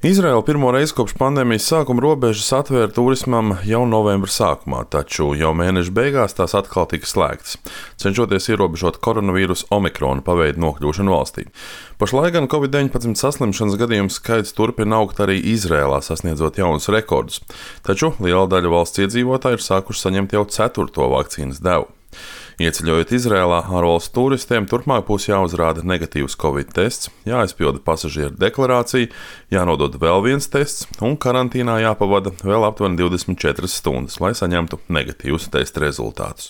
Izraela pirmo reizi kopš pandēmijas sākuma robežas atvēra turismam jau novembra sākumā, taču jau mēneša beigās tās atkal tika slēgtas, cenšoties ierobežot koronavīrusa omikrona paveidu nokļūšanu valstī. Pašlaik gan Covid-19 saslimšanas gadījumu skaits turpina augt arī Izrēlā, sasniedzot jaunus rekordus, taču liela daļa valsts iedzīvotāju ir sākuši saņemt jau 4. vakcīnas devu. Ieceļojot Izrēlā, ārvalstu turistiem turpmāk būs jāuzrāda negatīvs Covid tests, jāizpilda pasažieru deklarācija, jānodod vēl viens tests un karantīnā jāpavada vēl aptuveni 24 stundas, lai saņemtu negatīvus testa rezultātus.